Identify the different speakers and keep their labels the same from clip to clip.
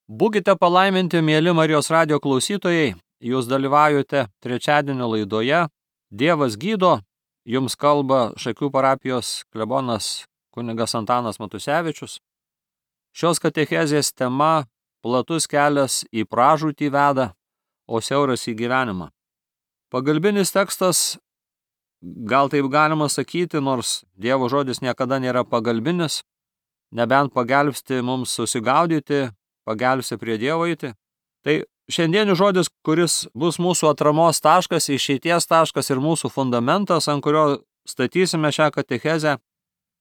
Speaker 1: Būkite palaiminti, mėly Marijos radijo klausytojai, jūs dalyvaujate trečiadienio laidoje Dievas gydo, jums kalba Šakių parapijos klebonas kunigas Antanas Matusevičius. Šios katechezės tema platus kelias į pražūtį veda, o siauras į gyvenimą. Pagalbinis tekstas, gal taip galima sakyti, nors Dievo žodis niekada nėra pagalbinis, nebent pagelbsti mums susigaudyti, pagelbsti prie Dievo eiti. Tai šiandienis žodis, kuris bus mūsų atramos taškas, išeities taškas ir mūsų fundamentas, ant kurio statysime šią katechezę,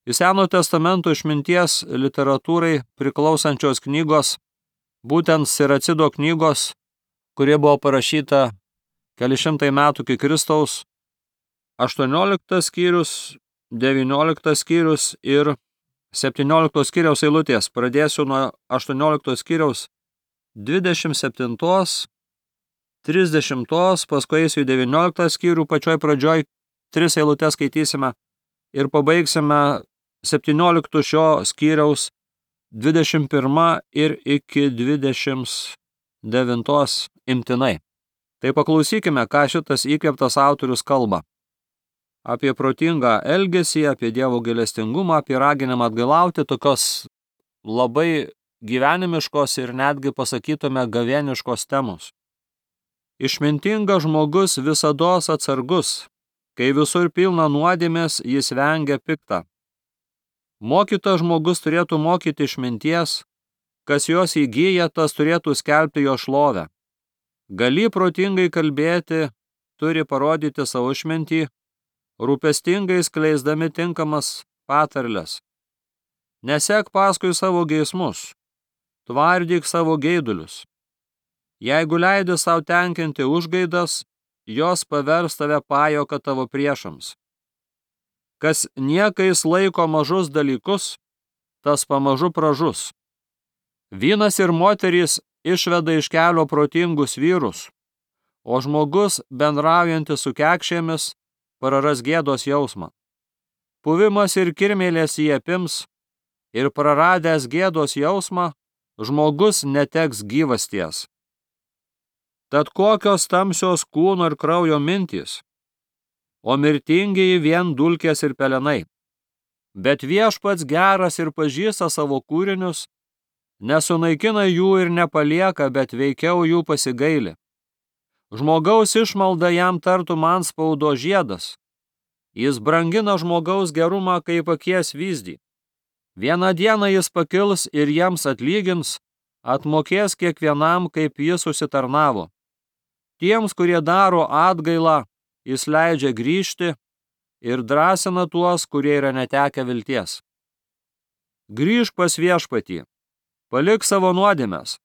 Speaker 1: į Senojo testamento išminties literatūrai priklausančios knygos, būtent Siracido knygos, kurie buvo parašyta keli šimtai metų iki Kristaus, 18 skyrius, 19 skyrius ir 17 skyriaus eilutės. Pradėsiu nuo 18 skyriaus 27, 30, paskui eisiu į 19 skyrių, pačioj pradžioj 3 eilutės skaitysime ir pabaigsime 17 šio skyriaus 21 ir iki 29 imtinai. Tai paklausykime, ką šitas įkvėptas autorius kalba. Apie protingą elgesį, apie Dievo gailestingumą, apie raginimą atgailauti, tokios labai gyvenimiškos ir netgi pasakytume gavėniškos temos. Išmintingas žmogus visados atsargus, kai visur pilna nuodėmės, jis vengia piktą. Mokytas žmogus turėtų mokyti išminties, kas jos įgyja, tas turėtų skelbti jo šlovę. Gali protingai kalbėti, turi parodyti savo išmintį, rūpestingai skleisdami tinkamas patarles. Nesek paskui savo geismus, tvardyk savo geidulius. Jeigu leidi savo tenkinti užgaidas, jos pavers tave pajuoka tavo priešams. Kas niekais laiko mažus dalykus, tas pamažu pražus. Vynas ir moterys išveda iš kelio protingus vyrus, o žmogus, bendraujantis su kekšėmis, praras gėdos jausmą. Puvimas ir kirmėlės jį apims, ir praradęs gėdos jausmą, žmogus neteks gyvasties. Tad kokios tamsios kūno ir kraujo mintys, o mirtingieji vien dulkės ir pelenai. Bet Viešpats geras ir pažįsta savo kūrinius, nesunaikina jų ir nepalieka, bet veikiau jų pasigaili. Žmogaus išmalda jam tartum antspaudo žiedas. Jis brangina žmogaus gerumą kaip akies vyzdį. Vieną dieną jis pakils ir jiems atlygins, atmokės kiekvienam, kaip jis užsitarnavo. Tiems, kurie daro atgailą, jis leidžia grįžti ir drąsina tuos, kurie yra netekę vilties. Grįžk pas Viešpatį, palik savo nuodėmes,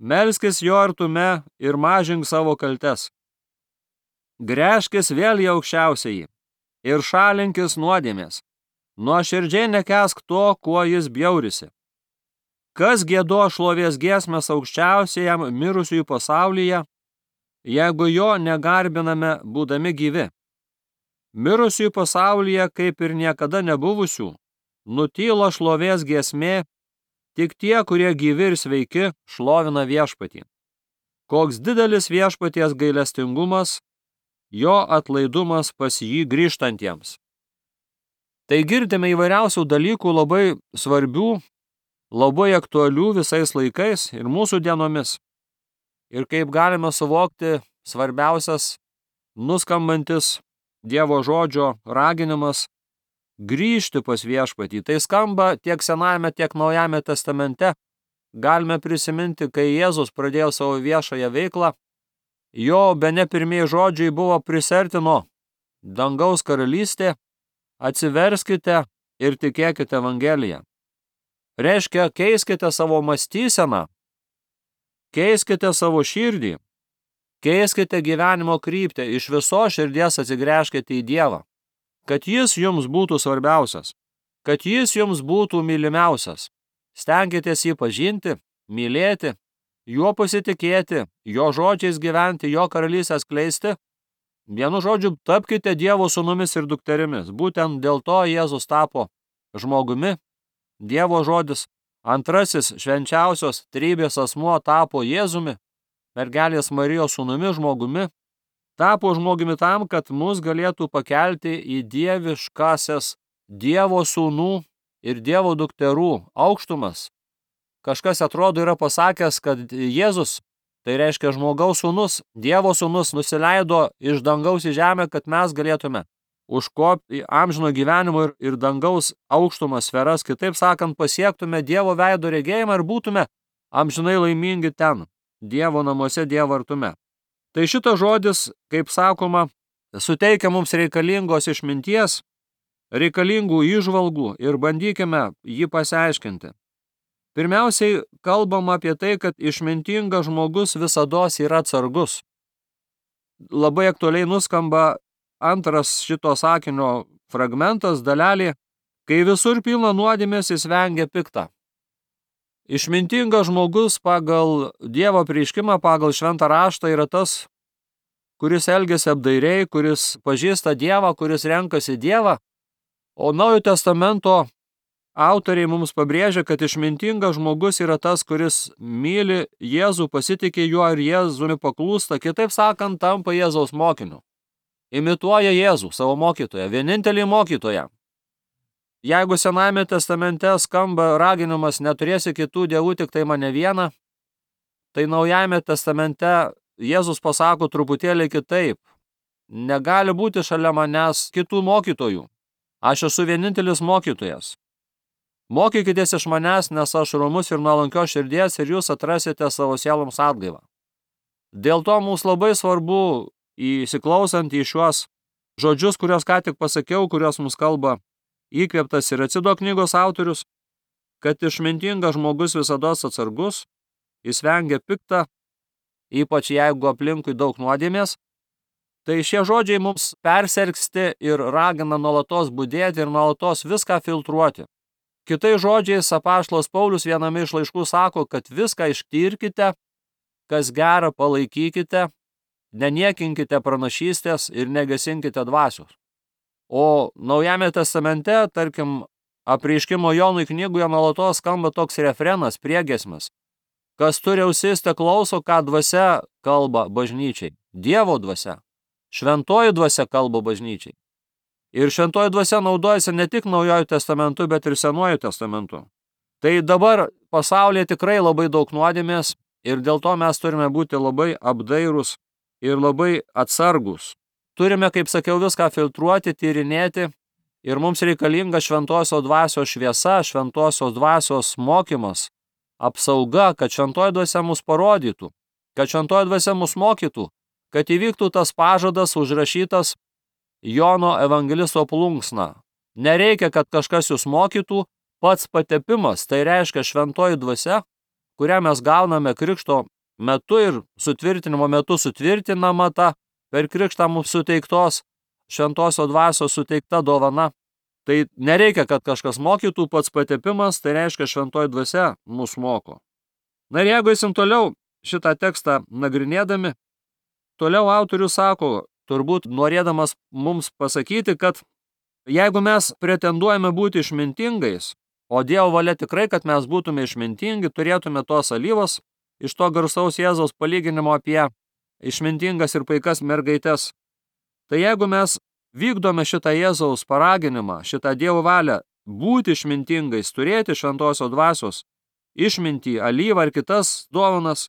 Speaker 1: melskis jo artume ir mažink savo kaltes. Gręžkis vėl į aukščiausiąjį ir šalinkis nuodėmės. Nuoširdžiai nekesk to, kuo jis bjaurisi. Kas giedo šlovės giesmes aukščiausiajam mirusiųjų pasaulyje, jeigu jo negarbiname būdami gyvi? Mirusiųjų pasaulyje, kaip ir niekada nebuvusių, nutyla šlovės giesmė, tik tie, kurie gyvi ir sveiki, šlovina Viešpatį. Koks didelis Viešpaties gailestingumas, jo atlaidumas pas jį grįžtantiems. Tai girdime įvairiausių dalykų labai svarbių, labai aktualių visais laikais ir mūsų dienomis. Ir kaip galime suvokti, svarbiausias, nuskambantis Dievo žodžio raginimas grįžti pas Viešpatį. Tai skamba tiek Senajame, tiek Naujame testamente. Galime prisiminti, kai Jėzus pradėjo savo viešąją veiklą, jo bene pirmieji žodžiai buvo prisertino dangaus karalystė, atsiverskite ir tikėkite Evangeliją. Reiškia, keiskite savo mąstyseną, keiskite savo širdį, keiskite gyvenimo kryptį, iš viso širdies atsigręžkite į Dievą, kad jis jums būtų svarbiausias, kad jis jums būtų mylimiausias. Stenkitės jį pažinti, mylėti, juo pasitikėti, jo žodžiais gyventi, jo karalystę skleisti. Vienu žodžiu, tapkite Dievo sūnumis ir dukterimis. Būtent dėl to Jėzus tapo žmogumi, Dievo žodis, Antrasis švenčiausios trybės asmuo tapo Jėzumi, mergelės Marijos sūnumi, žmogumi, tapo žmogumi tam, kad mus galėtų pakelti į dieviškasias Dievo sūnų ir Dievo dukterų aukštumas. Kažkas atrodo yra pasakęs, kad Jėzus, tai reiškia žmogaus sūnus, Dievo sūnus, nusileido iš dangaus į žemę, kad mes galėtume užkopti į amžino gyvenimo ir dangaus aukštumas sferas, kitaip sakant, pasiektume Dievo veido regėjimą ir būtume amžinai laimingi ten, Dievo namuose, Dievo artume. Tai šitas žodis, kaip sakoma, suteikia mums reikalingos išminties, reikalingų įžvalgų ir bandykime jį pasiaiškinti. Pirmiausiai kalbam apie tai, kad išmintingas žmogus visados yra atsargus. Labai aktualiai nuskamba antras šito sakinio fragmentas, dalelė, kai visur pilna nuodėmės, jis vengia piktą. Išmintingas žmogus pagal Dievo apreiškimą, pagal šventą raštą yra tas, kuris elgiasi apdairiai, kuris pažįsta Dievą, kuris renkasi Dievą, o Naujojo testamento autoriai mums pabrėžia, kad išmintingas žmogus yra tas, kuris myli Jėzų, pasitikė juo ir Jėzumi paklūsta, kitaip sakant, tampa Jėzaus mokiniu. Imituoja Jėzų, savo mokytoją, vienintelį mokytoją. Jeigu Senajame testamente skamba raginimas neturėsi kitų dievų, tik tai mane vieną, tai Naujajame testamente Jėzus pasako truputėlį kitaip. Negali būti šalia manęs kitų mokytojų. Aš esu vienintelis mokytojas. Mokykitės iš manęs, nes aš romus ir nuolankios širdies ir jūs atrasite savo sieloms atgaivą. Dėl to mums labai svarbu, įsiklausant į šiuos žodžius, kuriuos ką tik pasakiau, kuriuos mums kalba įkvėptas ir Acido knygos autorius, kad išmintingas žmogus visados atsargus, jis vengia piktą, ypač jeigu aplinkui daug nuodėmės. Tai šie žodžiai mums persergsti ir ragina nuolatos budėti ir nuolatos viską filtruoti. Kitais žodžiais apaštalas Paulius viename iš laiškų sako, kad viską ištirkite, kas gera palaikykite, neniekinkite pranašystės ir negesinkite dvasios. O Naujame testamente, tarkim, apreiškimo Jonui knygoje nuolatos skamba toks refrenas, priegiesmis. Kas turi ausis, te klauso, ką dvasia kalba bažnyčiai. Dievo dvasia. Šventoji dvasia kalba bažnyčiai. Ir šventoji dvasia naudojasi ne tik Naujojo testamentu, bet ir Senuoju testamentu. Tai dabar pasaulyje tikrai labai daug nuodėmės ir dėl to mes turime būti labai apdairūs ir labai atsargus. Turime, kaip sakiau, viską filtruoti, tyrinėti ir mums reikalinga šventosios dvasios šviesa, šventosios dvasios mokymas, apsauga, kad šventoji dvasia mus parodytų, kad šventoji dvasia mus mokytų, kad įvyktų tas pažadas užrašytas Jono evangelisto plunksna. Nereikia, kad kažkas jūs mokytų, pats patepimas, tai reiškia šventoji dvasia, kurią mes gauname krikšto metu ir sutvirtinimo metu sutvirtinama ta per krikštą mums suteiktos šventosios dvasios suteikta dovana. Tai nereikia, kad kažkas mokytų, pats patepimas, tai reiškia šventoji dvasia mus moko. Na ir jeigu eisim toliau šitą tekstą nagrinėdami, toliau autorius sako, turbūt norėdamas mums pasakyti, kad jeigu mes pretenduojame būti išmintingais, o Dievo valia tikrai, kad mes būtume išmintingi, turėtume tos alyvos iš to garsaus Jėzaus palyginimo apie išmintingas ir paikas mergaites. Tai jeigu mes vykdome šitą Jėzaus paraginimą, šitą Dievo valią būti išmintingais, turėti šventosios dvasios, išmintį, alyvą ir kitas dovanas,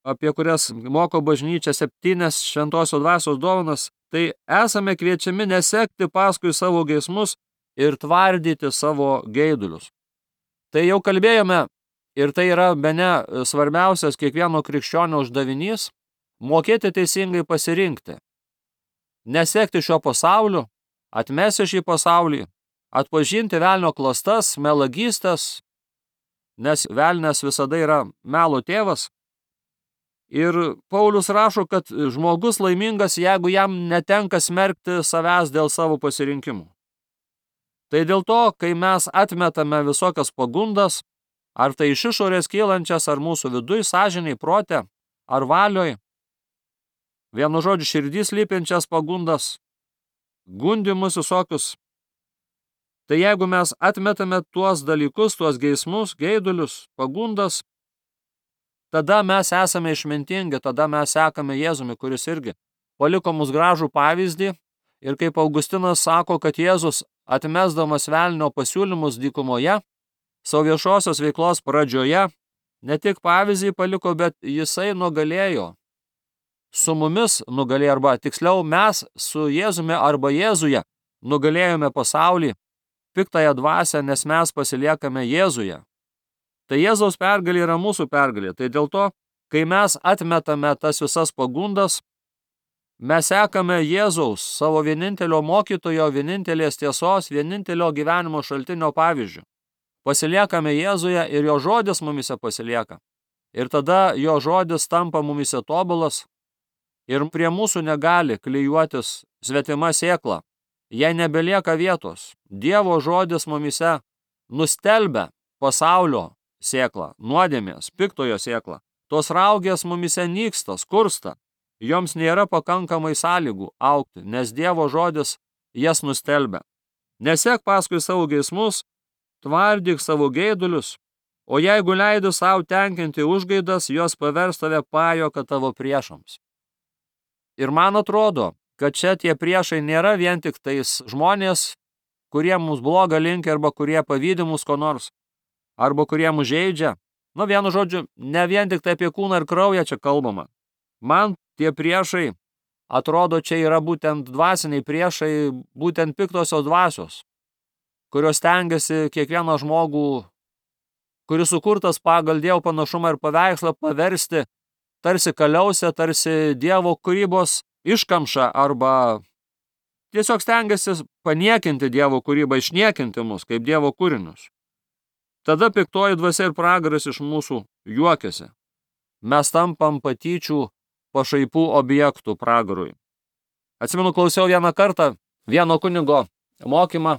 Speaker 1: apie kurias moko bažnyčia 7 šventosios dvasios dovanas, tai esame kviečiami nesekti paskui savo geismus ir tvardyti savo geidulius. Tai jau kalbėjome ir tai yra bene svarbiausias kiekvieno krikščionio uždavinys – mokėti teisingai pasirinkti. Nesekti šio pasauliu, atmesti šį pasaulį, atpažinti velnio klastas, melagystes, nes velnias visada yra melo tėvas. Ir Paulius rašo, kad žmogus laimingas, jeigu jam netenka smerkti savęs dėl savo pasirinkimų. Tai dėl to, kai mes atmetame visokias pagundas, ar tai iš išorės kylančias, ar mūsų viduj, sąžiniai, prote, ar valioj, vienu žodžiu širdys lypinčias pagundas, gundimus visokius, Tai jeigu mes atmetame tuos dalykus, tuos geismus, geidulius, pagundas, tada mes esame išmintingi, tada mes sekame Jėzumi, kuris irgi paliko mus gražų pavyzdį. Ir kaip Augustinas sako, kad Jėzus, atmesdamas velnio pasiūlymus dykumoje, savo viešosios veiklos pradžioje, ne tik pavyzdį paliko, bet jisai nugalėjo. Su mumis nugalėjo, arba tiksliau mes su Jėzumi arba Jėzuje nugalėjome pasaulį, piktąją dvasią, nes mes pasiliekame Jėzuje. Tai Jėzaus pergalė yra mūsų pergalė. Tai dėl to, kai mes atmetame tas visas pagundas, mes sekame Jėzaus, savo vienintelio mokytojo, vienintelės tiesos, vienintelio gyvenimo šaltinio pavyzdžių. Pasiliekame Jėzuje ir jo žodis mumise pasilieka. Ir tada jo žodis tampa mumise tobulas ir prie mūsų negali klijuotis svetima sėkla. Jei nebelieka vietos, Dievo žodis mumise nustelbia pasaulio sėklą, nuodėmės, piktojo sėklą. Tos raugės mumise nyksta, skursta. Joms nėra pakankamai sąlygų augti, nes Dievo žodis jas nustelbia. Nesek paskui savo geismus, tvardyk savo geidulius, o jeigu leidi savo tenkinti užgaidas, jos pavers tave pajuoka tavo priešams. Ir man atrodo, kad čia tie priešai nėra vien tik tais žmonės, kurie mums blogą linkia arba kurie pavydi mus ko nors, arba kurie mus žeidžia. Vienu žodžiu, ne vien tik tai apie kūną ir kraują čia kalbama. Man tie priešai atrodo, čia yra būtent dvasiniai priešai, būtent piktosios dvasios, kurios stengiasi kiekvieną žmogų, kuris sukurtas pagal Dievo panašumą ir paveikslą, paversti tarsi kaliausę, tarsi Dievo kūrybos iškamšą, arba tiesiog stengiasi paniekinti Dievo kūrybą, išniekinti mus kaip Dievo kūrinius. Tada piktoji dvasia ir pragaras iš mūsų juokiasi. Mes tampam patyčių pašaipų objektų pragarui. Atsimenu, klausiau vieną kartą vieno kunigo mokymą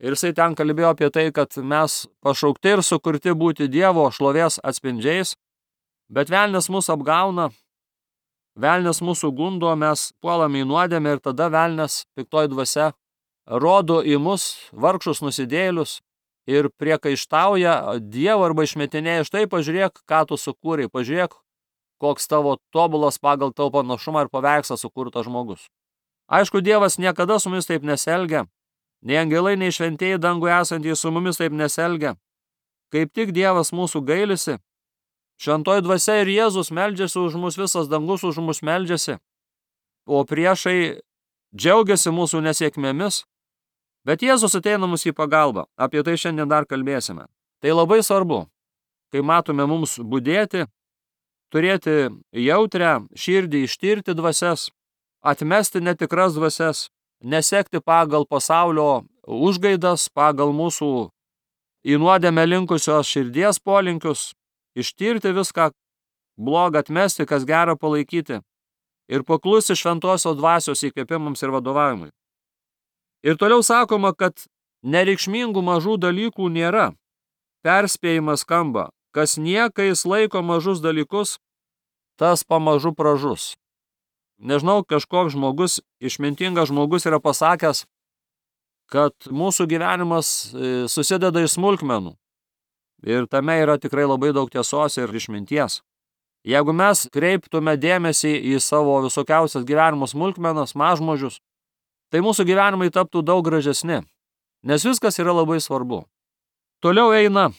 Speaker 1: ir jisai ten kalbėjo apie tai, kad mes pašaukti ir sukurti būti Dievo šlovės atspindžiais, bet velnias mus apgauna, velnias mūsų gundo, mes puolame į nuodėmę ir tada velnias, piktoji dvasia, rodo į mus vargšus nusidėjėlius ir priekaištauja Dievo arba išmetinėja, štai pažiūrėk, ką tu sukūrei, pažiūrėk, koks tavo tobulas pagal tavo panašumą ir paveikslą sukurtas žmogus. Aišku, Dievas niekada su mumis taip nesielgia, nei angelai, nei šventieji danguje esantys su mumis taip nesielgia. Kaip tik Dievas mūsų gailisi, šventoji dvasia ir Jėzus meldžiasi už mus, visas dangus už mus meldžiasi, o priešai džiaugiasi mūsų nesėkmėmis, bet Jėzus ateina mus į pagalbą. Apie tai šiandien dar kalbėsime. Tai labai svarbu, kai matome mums budėti, turėti jautrę širdį, ištirti dvasias, atmesti netikras dvasias, nesekti pagal pasaulio užgaidas, pagal mūsų į nuodėmę linkusios širdies polinkius, ištirti viską blogą, atmesti, kas gera palaikyti ir paklusti šventosios dvasios įkvėpimams ir vadovavimui. Ir toliau sakoma, kad nereikšmingų mažų dalykų nėra. Perspėjimas skamba, kas niekais laiko mažus dalykus, tas pamažu pražus. Nežinau, kažkoks žmogus, išmintingas žmogus yra pasakęs, kad mūsų gyvenimas susideda iš smulkmenų. Ir tame yra tikrai labai daug tiesos ir išminties. Jeigu mes kreiptume dėmesį į savo visokiausias gyvenimo smulkmenas, mažmožius, tai mūsų gyvenimai taptų daug gražesni, nes viskas yra labai svarbu. Toliau eina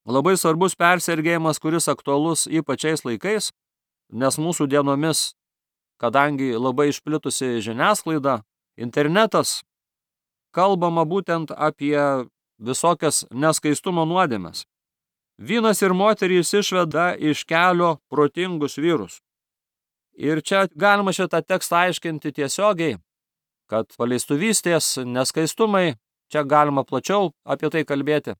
Speaker 1: labai svarbus persergėjimas, kuris aktualus ypač šiais laikais, nes mūsų dienomis, kadangi labai išplitusi žiniasklaida, internetas, kalbama būtent apie visokias neskaistumo nuodėmes. Vynas ir moterys išveda iš kelio protingus vyrus. Ir čia galima šitą tekstą aiškinti tiesiogiai, kad paleistuvystės, neskaistumai, čia galima plačiau apie tai kalbėti.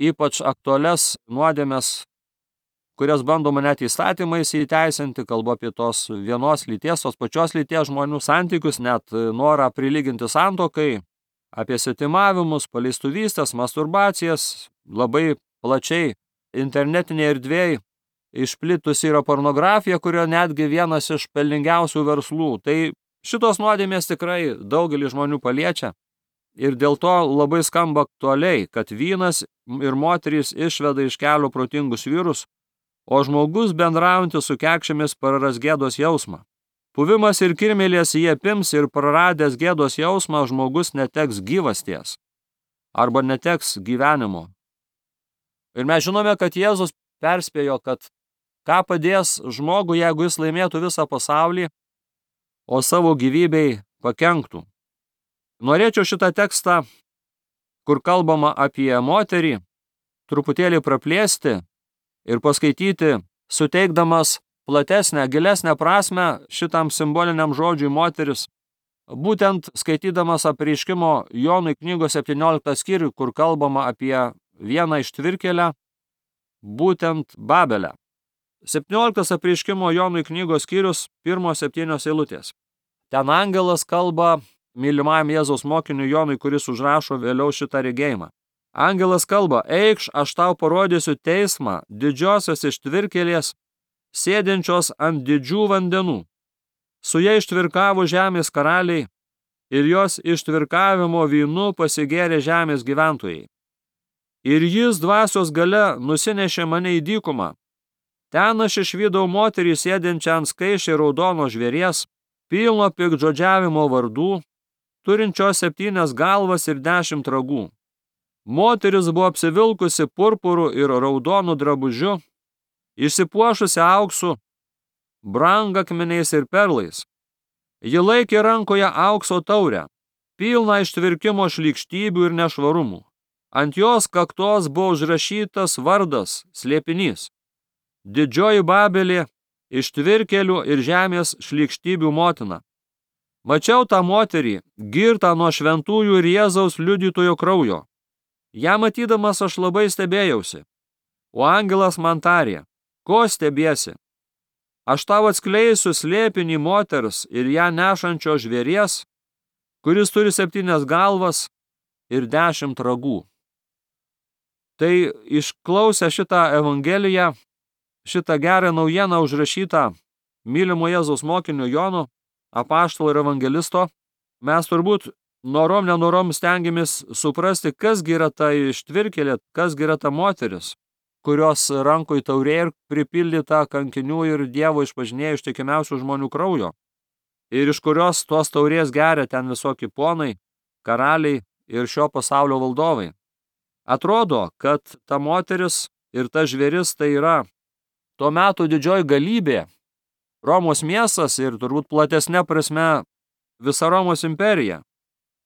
Speaker 1: Ypač aktualias nuodėmes, kurias bandoma net įstatymais įteisinti, kalbu apie tos vienos lyties, tos pačios lyties žmonių santykius, net norą prilyginti santuokai, apie svetimavimus, paleistuvystės, masturbacijas, labai plačiai internetinėje erdvėje išplitusi yra pornografija, kurio netgi vienas iš pelningiausių verslų. Tai šitos nuodėmės tikrai daugelį žmonių paliečia. ir dėl to labai skamba aktualiai, kad vynas ir moterys išveda iš kelio protingus vyrus, o žmogus bendraujantis su kekšėmis praras gėdos jausmą. Puvimas ir kirmėlės jį apims ir praradęs gėdos jausmą žmogus neteks gyvasties arba neteks gyvenimo. Ir mes žinome, kad Jėzus perspėjo, kad ką padės žmogui, jeigu jis laimėtų visą pasaulį, o savo gyvybei pakenktų. Norėčiau šitą tekstą, kur kalbama apie moterį, truputėlį praplėsti ir paskaityti, suteikdamas platesnę, gilesnę prasmę šitam simboliniam žodžiui moteris, būtent skaitydamas apreiškimo Jonui knygos 17 skyrių, kur kalbama apie vieną ištvirkėlę, būtent Babelę. 17 apreiškimo Jonui knygos skyrius, 1-7 eilutės. Ten angelas kalba mylimajam Jėzaus mokiniui Jonui, kuris užrašo vėliau šitą regėjimą. Angelas kalba, eikš, aš tau parodysiu teismą didžiosios ištvirkėlės, sėdinčios ant didžių vandenų. Su ja ištvirkavo žemės karaliai ir jos ištvirkavimo vynu pasigėrė žemės gyventojai. Ir jis dvasios gale nusinešė mane į dykumą. Ten aš išvydau moterį sėdinčią ant skaičiai raudono žvėries, pilno piktžodžiavimo vardų, turinčios 7 galvas ir 10 ragų. Moteris buvo apsivilkusi purpuru ir raudonu drabužiu, išsipuošusi auksu, brangakmeniais ir perlais. Ji laikė rankoje aukso taurę, pilną ištvirkimo šlykštybių ir nešvarumų. Ant jos kaktos buvo užrašytas vardas, slėpinys. Didžioji Babelė, ištvirkėlių ir žemės šlykštybių motina. Mačiau tą moterį, girtą nuo šventųjų ir Jėzaus liudytojo kraujo. Ją matydamas aš labai stebėjausi. O angelas man tarė, ko stebiesi? Aš tau atskleisiu slėpinį moters ir ją nešančio žvėries, kuris turi 7 galvas ir 10 ragų. Tai išklausę šitą evangeliją, šitą gerą naujieną užrašytą mylimo Jėzaus mokinio Jono, apaštalo ir evangelisto, mes turbūt nenorom stengiamės suprasti, kasgi yra ta ištvirkėlė, kasgi yra ta moteris, kurios rankoj taurė ir pripildyta kankinių ir Dievo išpažinėjų ištikimiausių žmonių kraujo, ir iš kurios tos taurės geria ten visokie ponai, karaliai ir šio pasaulio valdovai. Atrodo, kad ta moteris ir ta žvėris tai yra tuo metu didžioji galybė, Romos miestas ir turbūt platesnė prasme visa Romos imperija,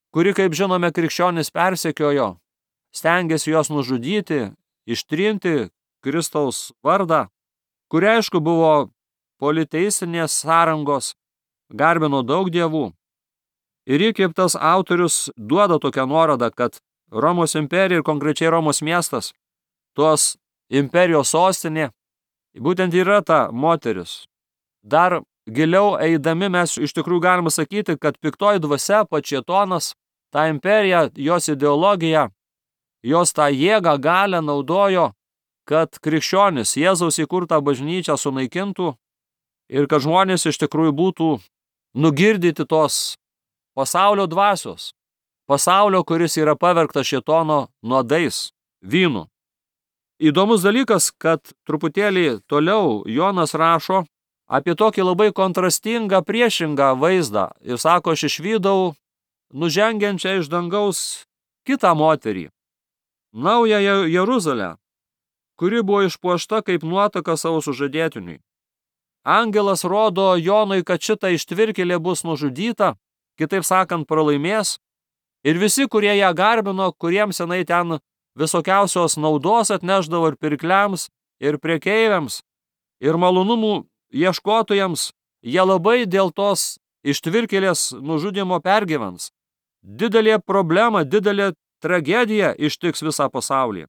Speaker 1: kuri, kaip žinome, krikščionis persekiojo, stengiasi juos nužudyti, ištrinti Kristaus vardą, kuri aišku buvo politeisinės sąrangos, garbino daug dievų. Ir ji, kaip tas autorius, duoda tokią nuorodą, kad Romos imperija ir konkrečiai Romos miestas, tos imperijos sostinė, būtent yra ta moteris. Dar giliau eidami mes iš tikrųjų galime sakyti, kad piktoji dvasia, pats šėtonas, tą imperiją, jos ideologiją, jos tą jėgą, galią naudojo, kad krikščionis Jėzaus įkurtą bažnyčią sunaikintų ir kad žmonės iš tikrųjų būtų nugirdyti tos pasaulio dvasios, pasaulio, kuris yra pavergtas šėtono nuodais, vynu. Įdomus dalykas, kad truputėlį toliau Jonas rašo apie tokį labai kontrastingą, priešingą vaizdą ir sako, aš išvydau nužengiančią iš dangaus kitą moterį, naująją Jeruzalę, kuri buvo išpuošta kaip nuotaka savo sužadėtiniui. Angelas rodo Jonui, kad šita ištvirkėlė bus nužudyta, kitaip sakant, pralaimės, ir visi, kurie ją garbino, kuriems senai ten visokiausios naudos atneždavo ir pirkliams, ir prekeiviams, ir malonumų ieškotojams, jie labai dėl tos ištvirkėlės nužudimo pergyvens. Didelė problema, didelė tragedija ištiks visą pasaulį.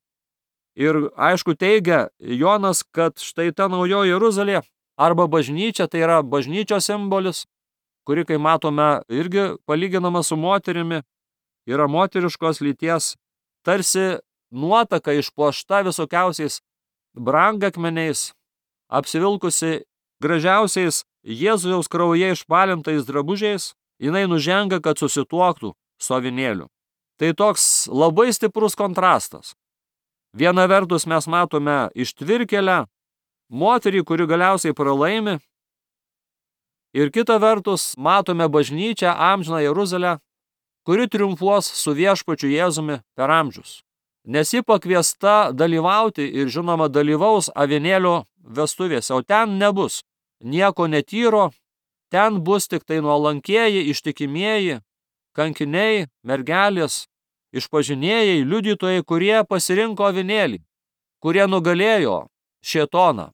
Speaker 1: Ir aišku teigia Jonas, kad štai ta naujoji Jeruzalė arba bažnyčia, tai yra bažnyčios simbolis, kuri, kai matome, irgi palyginama su moterimi, yra moteriškos lyties, tarsi nuotaka išpuošta visokiausiais brangakmeniais, apsivilkusi gražiausiais Jėzaus kraujyje išbalintais drabužiais, jinai nužengia, kad susituoktų su avinėliu. Tai toks labai stiprus kontrastas. Viena vertus mes matome ištvirkėlę, moterį, kuri galiausiai pralaimi, ir kita vertus matome bažnyčią, amžiną Jeruzalę, kuri triumfuos su viešpačiu Jėzumi per amžius. Nes ji pakviesta dalyvauti ir žinoma dalyvaus avinėlio vestuvėse, o ten nebus nieko netyro, ten bus tik tai nuolankieji, ištikimieji, kankiniai, mergelės, išpažinėjai, liudytojai, kurie pasirinko avinėlį, kurie nugalėjo šėtoną.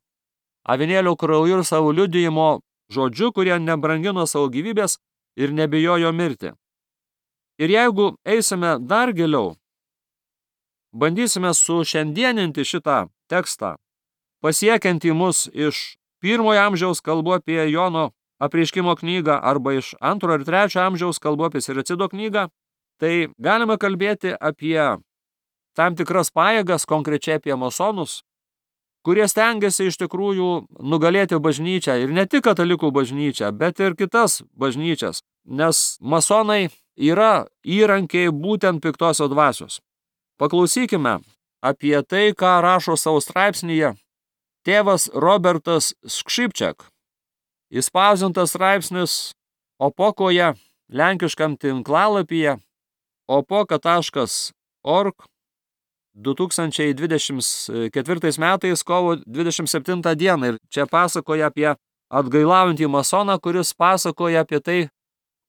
Speaker 1: Avinėlio krauju ir savo liudijimo žodžiu, kurie nebrangino savo gyvybės ir nebijojo mirti. Ir jeigu eisime dar giliau, bandysime sušiandieninti šitą tekstą, pasiekiantį mus iš 1 amžiaus, kalbu apie Jono apreiškimo knygą, arba iš 2 ir 3 amžiaus, kalbu apie Siracido knygą, tai galime kalbėti apie tam tikras pajėgas, konkrečiai apie masonus, kurie stengiasi iš tikrųjų nugalėti bažnyčią, ir ne tik katalikų bažnyčią, bet ir kitas bažnyčias, nes masonai yra įrankiai būtent piktosios dvasios. Paklausykime apie tai, ką rašo savo straipsnyje tėvas Robertas Skrzypczak. Įspausdintas straipsnis Opokoje, lenkiškam tinklalapyje opoka.org 2024 metais kovo 27 dieną. Ir čia pasakoja apie atgailaujantį masoną, kuris pasakoja apie tai,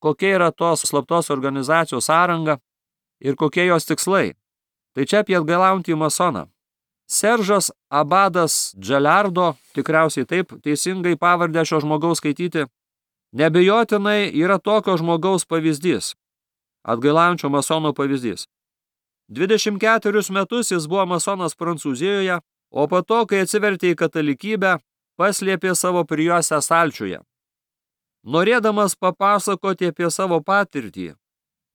Speaker 1: kokia yra tos slaptos organizacijos sąranga ir kokie jos tikslai. Tai čia apie atgailaujantį masoną. Seržas Abadas Dželiardo, tikriausiai taip teisingai pavardę šio žmogaus skaityti, nebejotinai yra tokio žmogaus pavyzdys, atgailaujančio masono pavyzdys. 24 metus jis buvo masonas Prancūzijoje, o po to, kai atsivertė į katalikybę, paslėpė savo prijuostę stalčiuje. Norėdamas papasakoti apie savo patirtį,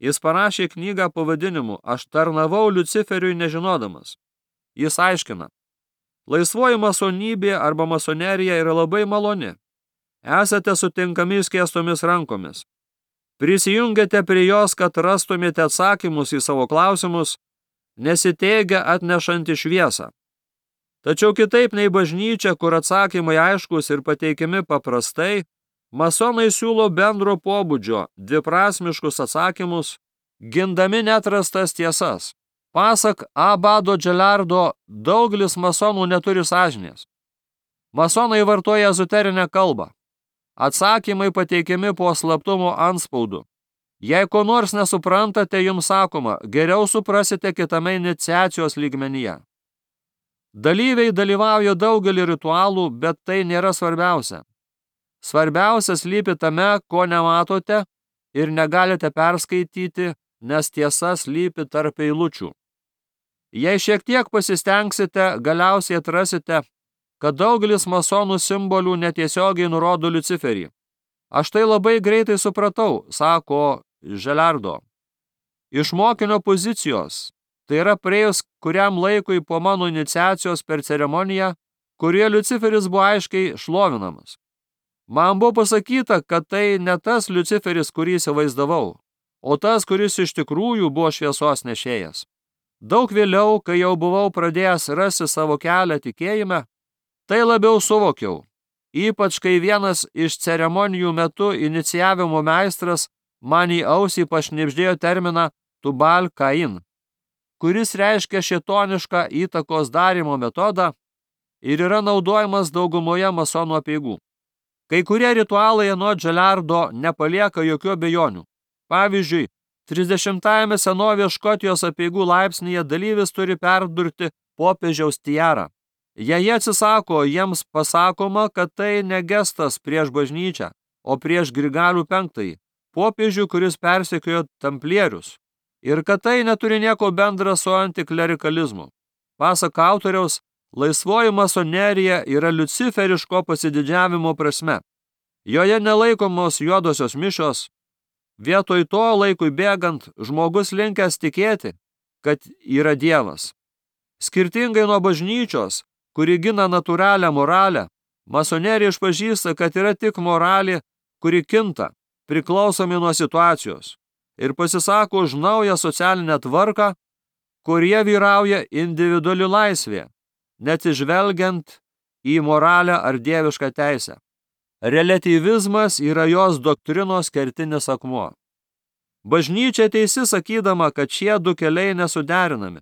Speaker 1: jis parašė knygą pavadinimu Aš tarnavau Liuciferiui nežinodamas. Jis aiškina, laisvoji masonybė arba masonerija yra labai maloni. Esate sutinkami skėstomis rankomis. Prisijungiate prie jos, kad rastumėte atsakymus į savo klausimus, nesiteigia atnešanti šviesą. Tačiau kitaip nei bažnyčia, kur atsakymai aiškus ir pateikiami paprastai, masonai siūlo bendro pobūdžio, dviprasmiškus atsakymus, gindami neatrastas tiesas. Pasak Abado Dželiardo, daugelis masonų neturi sąžinės. Masonai vartoja ezoterinę kalbą. Atsakymai pateikiami po slaptumo antspaudu. Jei ko nors nesuprantate, jums sakoma, geriau suprasite kitame iniciacijos lygmenyje. Dalyviai dalyvauja daugelį ritualų, bet tai nėra svarbiausia. Svarbiausia slypi tame, ko nematote ir negalite perskaityti, nes tiesa slypi tarp eilučių. Jei šiek tiek pasistengsite, galiausiai atrasite, kad daugelis masonų simbolių netiesiogiai nurodo Liuciferį. Aš tai labai greitai supratau, sako Dželiardo. Iš mokinio pozicijos, tai yra praėjus kuriam laikui po mano iniciacijos per ceremoniją, kurioje Liuciferis buvo aiškiai šlovinamas. Man buvo pasakyta, kad tai ne tas Liuciferis, kurį įsivaizdavau, o tas, kuris iš tikrųjų buvo šviesos nešėjas. Daug vėliau, kai jau buvau pradėjęs rasti savo kelią tikėjime, tai labiau suvokiau, ypač kai vienas iš ceremonijų metu inicijavimo meistras man į ausį pašnibždėjo terminą Tubal Kain, kuris reiškia šėtonišką įtakos darymo metodą ir yra naudojamas daugumoje masonų apeigų. Kai kurie ritualai anot Dželiardo nepalieka jokių abejonių. Pavyzdžiui, 30-ame senovės Škotijos apeigų laipsnyje dalyvis turi perdurti popiežiaus tiarą. Jei jie atsisako, jiems pasakoma, kad tai ne gestas prieš bažnyčią, o prieš Grigalių V, popiežių, kuris persekiojo tamplierius, ir kad tai neturi nieko bendra su antiklerikalizmu. Pasak autoriaus, laisvoji masonerija yra liuciferiško pasididžiavimo prasme. Joje nelaikomos juodosios mišios. Vietoj to laikui bėgant žmogus linkęs tikėti, kad yra Dievas. Skirtingai nuo bažnyčios, kuri gina natūralią moralę, masonerija išpažįsta, kad yra tik moralė, kuri kinta, priklausomi nuo situacijos. ir pasisako už naują socialinę tvarką, kurie vyrauja individuali laisvė, neatsižvelgiant į moralę ar dievišką teisę. Reliatyvizmas yra jos doktrinos kertinis akmuo. Bažnyčia teisi sakydama, kad šie du keliai nesuderinami.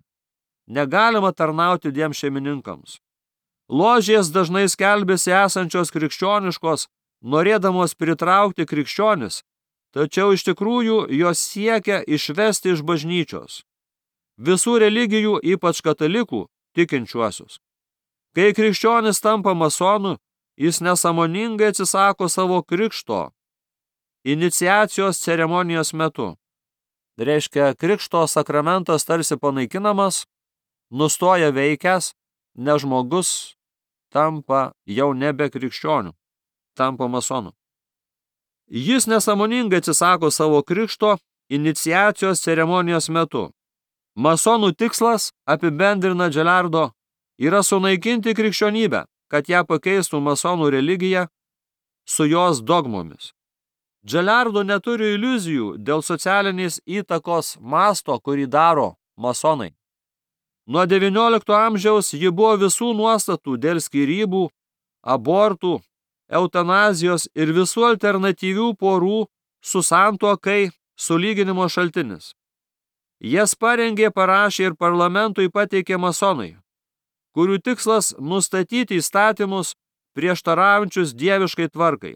Speaker 1: Negalima tarnauti dviem šeimininkams. Ložės dažnai skelbėsi esančios krikščioniškos, norėdamos pritraukti krikščionis, tačiau iš tikrųjų jos siekia išvesti iš bažnyčios visų religijų, ypač katalikų, tikinčiuosius. Kai krikščionis tampa masonu, jis nesąmoningai atsisako savo krikšto iniciacijos ceremonijos metu. Reiškia, krikšto sakramentas tarsi panaikinamas, nustoja veikęs, nes žmogus tampa jau nebe krikščioniu, tampa masonu. Jis nesąmoningai atsisako savo krikšto iniciacijos ceremonijos metu. Masonų tikslas, apibendrina Dželardo, yra sunaikinti krikščionybę, kad ją pakeistų masonų religija su jos dogmomis. Dželardo neturi iliuzijų dėl socialinės įtakos masto, kurį daro masonai. Nuo XIX amžiaus ji buvo visų nuostatų dėl skyrybų, abortų, eutanazijos ir visų alternatyvių porų su santuokai sulyginimo šaltinis. Jas parengė, parašė ir parlamentui pateikė masonai, kurių tikslas nustatyti įstatymus prieštaraujančius dieviškai tvarkai.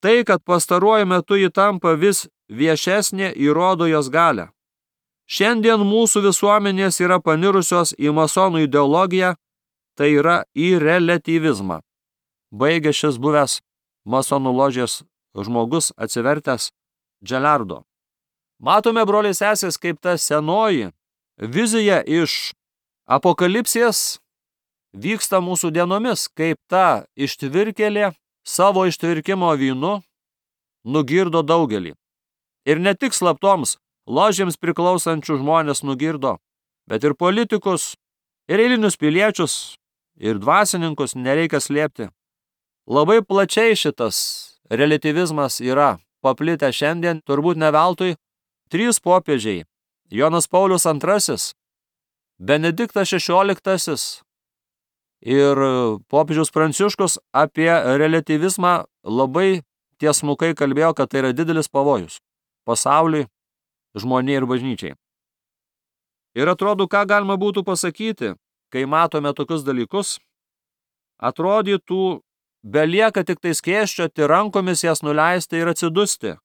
Speaker 1: Tai, kad pastaruoju metu ji tampa vis viešesnė, įrodo jos galią. Šiandien mūsų visuomenės yra panirusios į masonų ideologiją, tai yra į reliatyvizmą. Baigė šis buvęs masonų ložės žmogus atsivertęs Dželardo. Matome, broliai sesės, kaip ta senoji vizija iš apokalipsės vyksta mūsų dienomis, kaip ta ištvirkėlė savo ištvirkimo vynu nugirdo daugelį. Ir ne tik slaptoms ložėms priklausančių žmonės nugirdo, bet ir politikus, ir eilinius piliečius, ir dvasininkus nereikia slėpti. Labai plačiai šitas reliatyvizmas yra paplitę šiandien, turbūt ne veltui. 3 popiežiai – Jonas Paulius II, Benediktas XVI ir popiežius Pranciškus apie reliatyvizmą labai tiesmukai kalbėjo, kad tai yra didelis pavojus pasauliui, žmonijai ir bažnyčiai. Ir atrodo, ką galima būtų pasakyti, kai matome tokius dalykus, atrodytų, belieka tik tai skėsčioti rankomis, jas nuleisti ir atsidusti.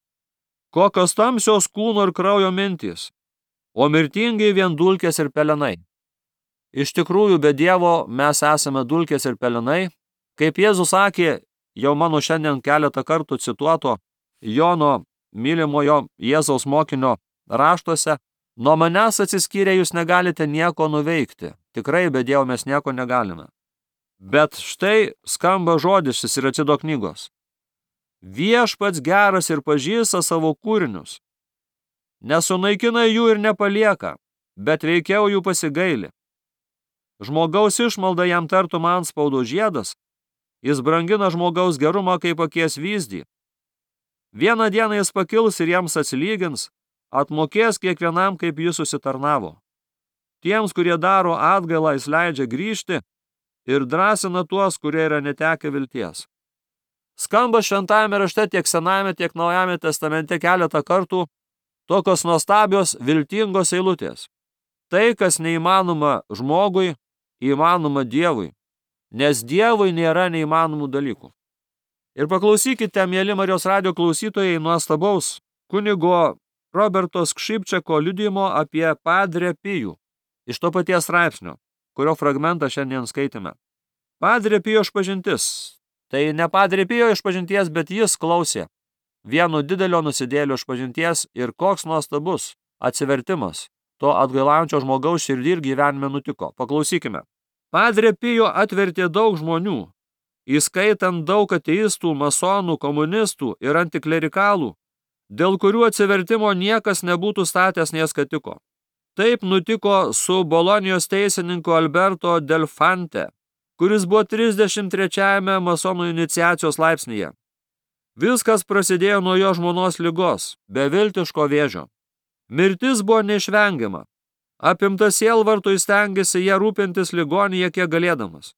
Speaker 1: Kokios tamsios kūno ir kraujo mintys, o mirtingai vien dulkės ir pelenai. Iš tikrųjų, be Dievo mes esame dulkės ir pelenai, kaip Jėzus sakė, jau mano šiandien keletą kartų cituoto Jono mylimojo Jėzaus mokinio raštuose, nuo manęs atsiskyrę jūs negalite nieko nuveikti. Tikrai be Dievo mes nieko negalime. Bet štai skamba žodis iš Siracido knygos. Viešpats geras ir pažįsta savo kūrinius. Nesunaikina jų ir nepalieka, bet veikiau jų pasigaili. Žmogaus išmalda jam tartum antspaudo žiedas, jis brangina žmogaus gerumą kaip akies vyzdį. Vieną dieną jis pakils ir jiems atsilygins, atmokės kiekvienam, kaip jis susitarnavo. Tiems, kurie daro atgailą, jis leidžia grįžti ir drąsina tuos, kurie yra netekę vilties. Skamba šventajame rašte tiek Senajame, tiek Naujame testamente keletą kartų tokios nuostabios, viltingos eilutės. Tai, kas neįmanoma žmogui, įmanoma Dievui, nes Dievui nėra neįmanomų dalykų. Ir paklausykite, mieli Marijos radijo klausytojai, nuostabaus kunigo Roberto Skšipčeko liudijimo apie Padre Pijų iš to paties straipsnio, kurio fragmentą šiandien skaitėme. Padre Pijo išpažintis. Tai ne Padre Pijo išpažinties, bet jis klausė vieno didelio nusidėlio išpažinties ir koks nuostabus atsivertimas to atgailaujančio žmogaus širdį ir gyvenime nutiko. Paklausykime. Padre Pijo atvertė daug žmonių, įskaitant daug ateistų, masonų, komunistų ir antiklerikalų, dėl kurių atsivertimo niekas nebūtų statęs nė skatiko. Taip nutiko su Bolonijos teisininku Alberto Delfante, kuris buvo 33-ame masonų iniciacijos laipsnyje. Viskas prasidėjo nuo jo žmonos ligos, beviltiško vėžio. Mirtis buvo neišvengiama. Apimtas sielvarto įstengėsi ją rūpintis ligonyje kiek galėdamas.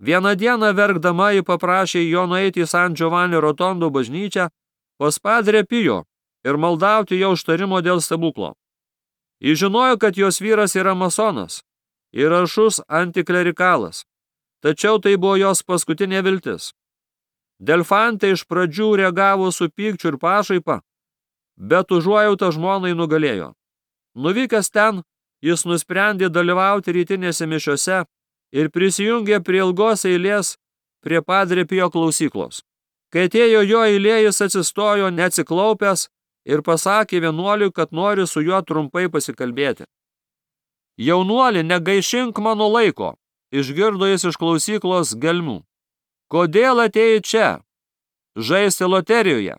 Speaker 1: Vieną dieną verkdama ji paprašė jo nueiti į San Giovanni Rotondo bažnyčią pas Padre Pio ir maldauti jo užtarimo dėl stebuklo. Ji žinojo, kad jos vyras yra masonas ir aršus antiklerikalas, tačiau tai buvo jos paskutinė viltis. Delfantė iš pradžių reagavo su pykčiu ir pašaipa, bet užuojauta žmonai nugalėjo. Nuvykęs ten, jis nusprendė dalyvauti rytinėse mišiose ir prisijungė prie ilgos eilės prie Padre Pio klausyklos. Kai atėjo jo eilė, jis atsistojo neatsiklaupęs ir pasakė vienuoliui, kad nori su juo trumpai pasikalbėti. Jaunuoli, negaišink mano laiko, išgirdo jis iš klausyklos gelmių. Kodėl atėjai čia? Žaisti loterijoje.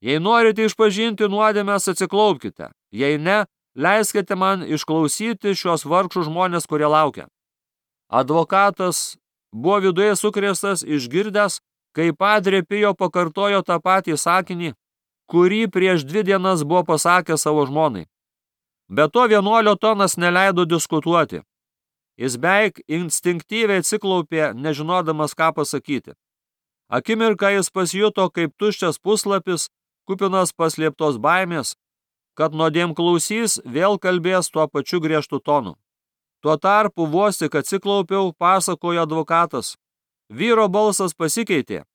Speaker 1: Jei norite išpažinti nuodėmes, atsiklaupkite. Jei ne, leiskite man išklausyti šios vargšų žmonės, kurie laukia. Advokatas buvo viduje sukrėstas, išgirdęs, kai Padre Pio pakartojo tą patį sakinį, kurį prieš 2 dienas buvo pasakęs savo žmonai. Be to vienuolio tonas neleido diskutuoti. Jis beveik instinktyviai atsiklaupė, nežinodamas, ką pasakyti. Akimirką jis pasijuto kaip tuščias puslapis, kupinas paslėptos baimės, kad nuodėmklausys vėl kalbės tuo pačiu griežtu tonu. Tuo tarpu vos tik atsiklaupiau, pasakojo advokatas. Vyro balsas pasikeitė,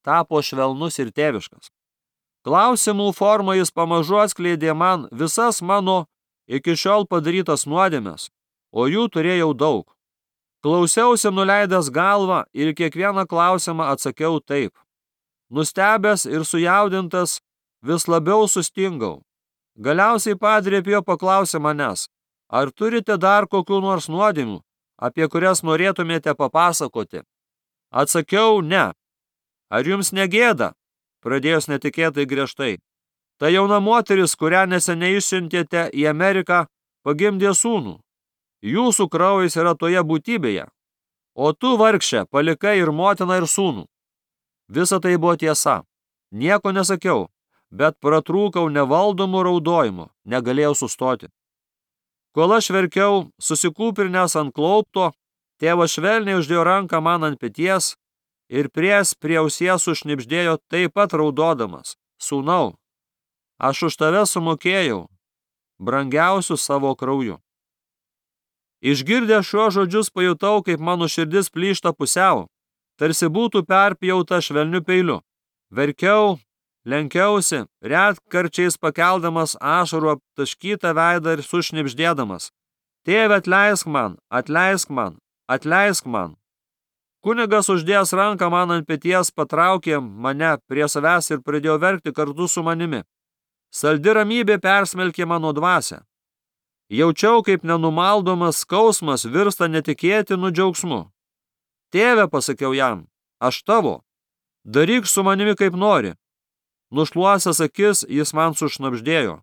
Speaker 1: tapo švelnus ir tėviškas. Klausimų formą jis pamažu atskleidė man visas mano iki šiol padarytas nuodėmes, o jų turėjau daug. Klausiausi nuleidęs galvą ir kiekvieną klausimą atsakiau taip. Nustebęs ir sujaudintas, vis labiau sustingau. Galiausiai Padre Pio paklausė manęs, ar turite dar kokių nors nuodėmių, apie kurias norėtumėte papasakoti? Atsakiau, ne. Ar jums negėda? Pradėjus netikėtai griežtai. Ta jauna moteris, kurią neseniai išsiuntėte į Ameriką, pagimdė sūnų. Jūsų kraujas yra toje būtybėje, o tu, vargšė, palikai ir motiną, ir sūnų. Visa tai buvo tiesa. Nieko nesakiau, bet pratrūkau nevaldomų raudojimų, negalėjau sustoti. Kol aš verkiau, susikūprinęs ant klaupto, tėvas švelniai uždėjo ranką man ant peties ir prie ausies sušnibždėjo taip pat raudodamas. Sūnau, aš už tave sumokėjau, brangiausiu savo krauju. Išgirdęs šiuos žodžius pajutau, kaip mano širdis plyšta pusiau, tarsi būtų perpjauta švelniu peiliu. Verkiau, lenkiausi, retkarčiais pakeldamas ašarų aptaškytą veidą ir sušnibždėdamas. Tėve, atleisk man, atleisk man, atleisk man. Kunigas uždėjęs ranką man ant peties patraukė mane prie savęs ir pradėjo verkti kartu su manimi. Saldi ramybė persmelkė mano dvasią. Jaučiau, kaip nenumaldomas skausmas virsta netikėtinu džiaugsmu. Tėve, pasakiau jam, aš tavo, daryk su manimi kaip nori. Nušluosęs akis, jis man sušnabždėjo.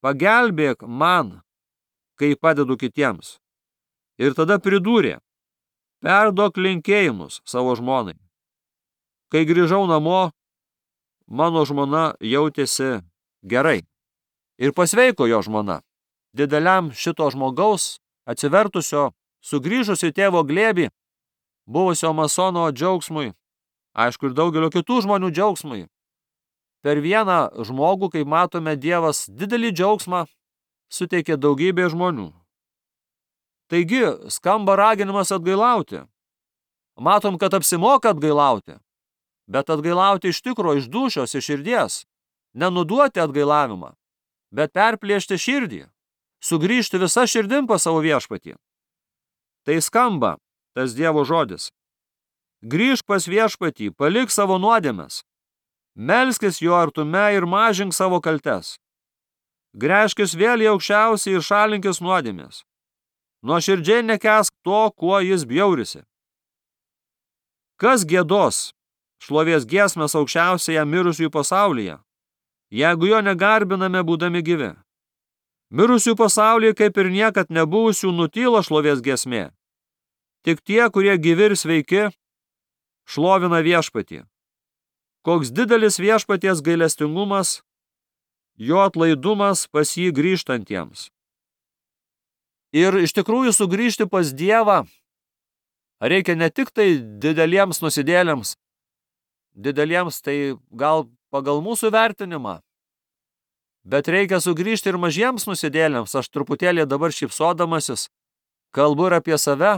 Speaker 1: Pagelbėk man, kai padedu kitiems. Ir tada pridūrė, perduok linkėjimus savo žmonai. Kai grįžau namo, mano žmona jautėsi gerai. Ir pasveiko jo žmona. Dideliam šito žmogaus, atsivertusio, sugrįžusio į tėvo glėbį, buvusio masono džiaugsmui, aišku ir daugelio kitų žmonių džiaugsmui. Per vieną žmogų, kaip matome, Dievas didelį džiaugsmą suteikė daugybė žmonių. Taigi, skamba raginimas atgailauti. Matom, kad apsimoka atgailauti, bet atgailauti iš tikro, iš dūšios, iš širdies. Nenuduoti atgailavimą, bet perplėšti širdį, sugrįžti visą širdim pas savo viešpatį. Tai skamba tas Dievo žodis. Grįžk pas viešpatį, palik savo nuodėmes. Melskis jo artume ir mažink savo kaltes. Gręžkis vėl į aukščiausią ir šalinkis nuodėmės. Nuoširdžiai nekęsk to, kuo jis bjaurisi. Kas giedos šlovės giesmės aukščiausiąją mirusiųjų pasaulyje, jeigu jo negarbiname būdami gyvi? Mirusių pasaulyje kaip ir niekad nebuvusių nutyla šlovės giesmė. Tik tie, kurie gyvi ir sveiki, šlovina viešpatį. Koks didelis viešpaties gailestingumas jo atlaidumas pas jį grįžtantiems. Ir iš tikrųjų sugrįžti pas Dievą reikia ne tik tai dideliems nusidėlėms, dideliems tai gal pagal mūsų vertinimą, bet reikia sugrįžti ir mažiems nusidėlėms. Aš truputėlį dabar šypsodamasis kalbu ir apie save,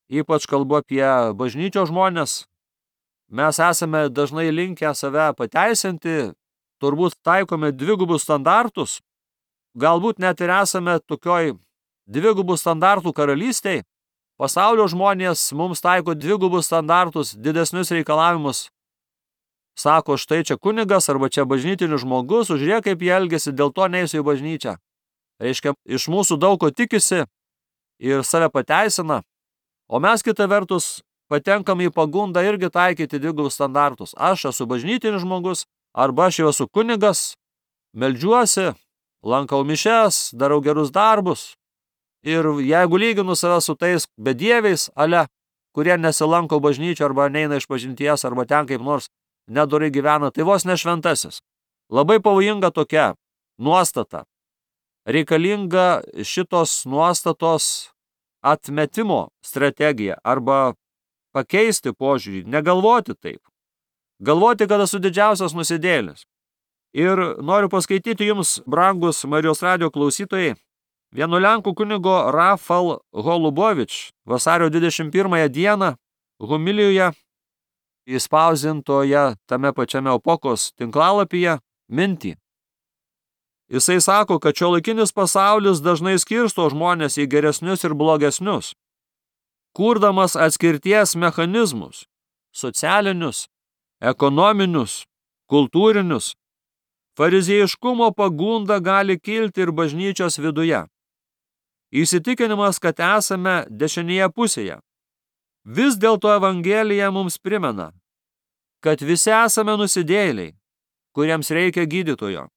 Speaker 1: ypač kalbu apie bažnyčios žmonės. Mes esame dažnai linkę save pateisinti, turbūt taikome dvigubus standartus, galbūt net ir esame tokioj dvigubų standartų karalystėj. Pasaulio žmonės mums taiko dvigubus standartus, didesnius reikalavimus. Sako, štai čia kunigas arba čia bažnytinis žmogus, žiūrėk kaip jie elgiasi, dėl to neisiu į bažnyčią. Reiškia, iš mūsų daug ko tikisi ir save pateisina, o mes kita vertus patenkam į pagundą irgi taikyti dvigubus standartus. Aš esu bažnytinis žmogus, arba aš jau esu kunigas, meldžiuosi, lankau mišes, darau gerus darbus. Ir jeigu lyginu save su tais bedieviais, kurie nesilanko bažnyčio arba neina iš pažinties, arba ten kaip nors nedorai gyvena, tai vos ne šventasis. Labai pavojinga tokia nuostata. Reikalinga šitos nuostatos atmetimo strategija arba pakeisti požiūrį, negalvoti taip. Galvoti, kad esu didžiausias nusidėlis. Ir noriu paskaityti jums, brangus Marijos radijo klausytojai, vieno lenkų kunigo Rafal Holubovič vasario 21 dieną homilijoje įspausdintoje tame pačiame Opokos tinklalapyje mintį. Jisai sako, kad šiuolaikinis pasaulis dažnai skirsto žmonės į geresnius ir blogesnius, kurdamas atskirties mechanizmus, socialinius, ekonominius, kultūrinius. Fariziejiškumo pagunda gali kilti ir bažnyčios viduje. Įsitikinimas, kad esame dešinėje pusėje. Vis dėlto Evangelija mums primena, kad visi esame nusidėjėliai, kuriems reikia gydytojo.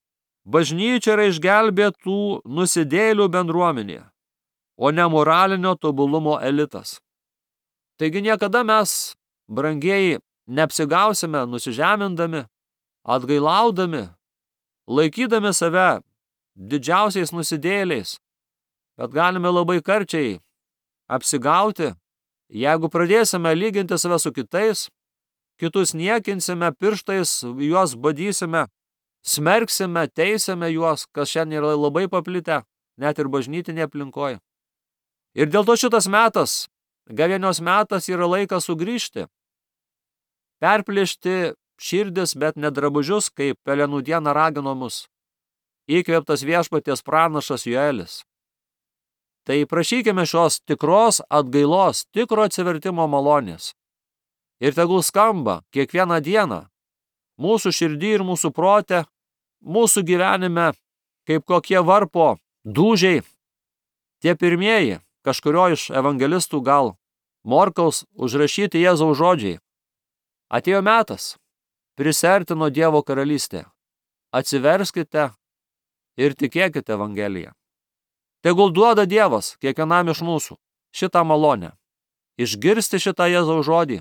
Speaker 1: Bažnyčia yra išgelbėtų nusidėjėlių bendruomenė, o ne moralinio tobulumo elitas. Taigi niekada mes, brangieji, neapsigausime nusižemindami, atgailaudami, laikydami save didžiausiais nusidėjėliais, bet galime labai karčiai apsigauti, jeigu pradėsime lyginti save su kitais, kitus niekinsime, pirštais juos badysime, smerksime, teisime juos, kas šiandien yra labai paplitę, net ir bažnytinėje aplinkoje. Ir dėl to šitas metas, gavėnios metas, yra laikas sugrįžti, perplėšti širdis, bet ne drabužius, kaip pelenų dieną ragino mus įkvėptas viešpaties pranašas Joelis. Tai prašykime šios tikros atgailos, tikro atsivertimo malonės. Ir tegul skamba kiekvieną dieną mūsų širdį ir mūsų prote, mūsų gyvenime, kaip kokie varpo dūžiai, tie pirmieji, kažkurio iš evangelistų gal Morkaus užrašyti Jėzaus žodžiai. Atėjo metas, prisiartino Dievo karalystė. Atsiverskite ir tikėkite Evangeliją. Tegul duoda Dievas kiekvienam iš mūsų šitą malonę, išgirsti šitą Jėzaus žodį,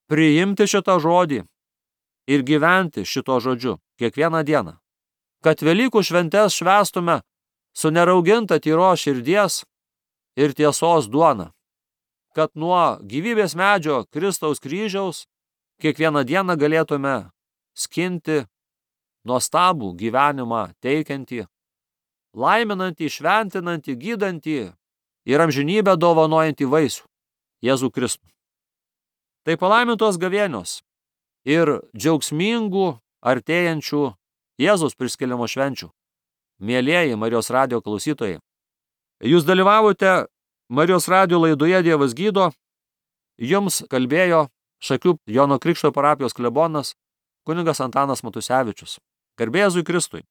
Speaker 1: priimti šitą žodį ir gyventi šito žodžiu kiekvieną dieną. Kad Velykų šventes švęstume su nerauginta tyros širdies ir tiesos duona. Kad nuo gyvybės medžio Kristaus kryžiaus kiekvieną dieną galėtume skinti nuostabų gyvenimą teikiantį, laiminantį, šventinantį, gydantį ir amžinybę dovanojantį vaisių Jėzų Kristų. Tai palaimintos gavėnios ir džiaugsmingų artėjančių Jėzaus prisikėlimo švenčių. Mielieji Marijos radijo klausytojai, jūs dalyvavote Marijos radijo laidoje Dievas gydo, jums kalbėjo Šakių Jono Krikšto parapijos klebonas kunigas Antanas Matusevičius. Garbė Jėzui Kristui.